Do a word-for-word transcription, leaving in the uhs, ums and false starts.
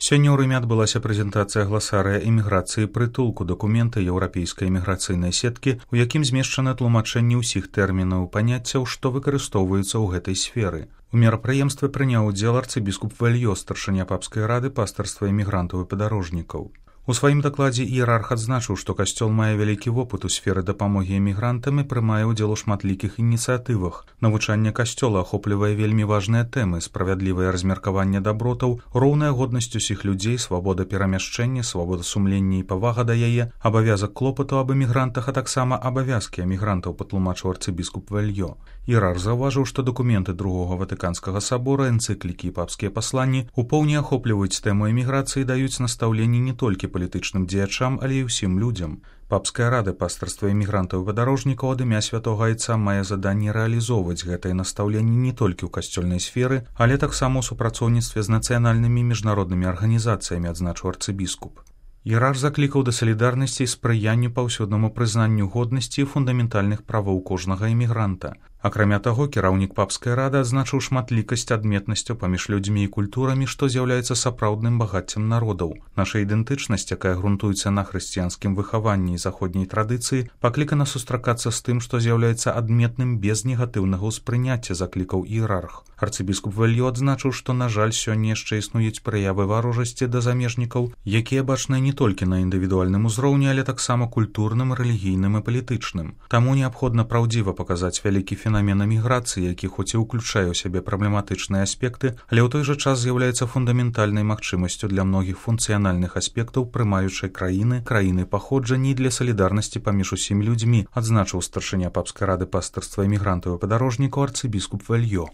Сёння ў Рыме адбылася прэзентацыя гласарыя эміграцыі прытулку дакумента еўрапейскай эміграцыйнай сеткі, у якім змешчаны тлумачэнні ўсіх тэрмінаў паняццяў, што выкарыстоўваюцца ў гэтай сферы. У мерапрыемстве прыняў удзел арцыбіскуп Вельё, старшыня папскай рады пастырства эмігрантаў і падарожнікаў. У сваім дакладзе іерарх адзначыў, што касцёл мае вялікі вопыт у сферы дапамогі эмігрантам і прымае ўдзел у шматлікіх ініцыятывах. Навучанне касцёла ахоплівае вельмі важныя тэмы: справядлівае размеркаванне дабротаў, роўная годнасць усіх людзей, свабода перамяшчэння, свабода сумлення і павага да яе, абавязак клопату аб эмігрантах, а таксама абавязкі эмігрантаў, патлумачыў арцыбіскуп Вельё. Іерарх заўважыў, што дакументы другога ватыканскага сабора, энцыклікі і папскія пасланні упоўне ахопліваюць тэму эміграцыі і даюць настаўленні не толькі палітычным дзеячам, але і ўсім людзям. Папская рада пастырства эмігрантаў і падарожнікаў ад імя святога айца мае заданне рэалізоўваць гэтае настаўленне не толькі ў касцёльнай сферы, але таксама ў супрацоўніцтве з нацыянальнымі і міжнароднымі арганізацыямі, адзначыў арцыбіскуп. Іерарх заклікаў да салідарнасці і спрыянню паўсюднаму прызнанню годнасці і фундаментальных правоў кожнага эмігранта. Акрамя таго, кіраўнік папскай рады адзначыў шматлікасць адметнасцяў паміж людзьмі і культурамі, што з'яўляецца сапраўдным багаццем народаў. Наша ідэнтычнасць, якая грунтуецца на хрысціянскім выхаванні і заходняй традыцыі, паклікана сустракацца з тым, што з'яўляецца адметным без негатыўнага ўспрыняцця, заклікаў іерарх. Арцыбіскуп Вельё адзначыў, што, на жаль, сёння яшчэ існуюць праявы варожасці да замежнікаў, якія бачныя не толькі на індывідуальным узроўні, але таксама культурным, рэлігійным і палітычным. Таму неабходна праўдзіва паказаць вялікі фенамен эміграцыі, які хоць і ўключае ў сябе праблематычныя аспекты, але ў той жа час з'яўляецца фундаментальнай магчымасцю для многіх функцыянальных аспектаў прымаючай краіны, краіны паходжання і для салідарнасці паміж усімі людзьмі, адзначыў старшыня папскай рады пастырства эмігрантаў і падарожнікаў арцыбіскуп Вельё.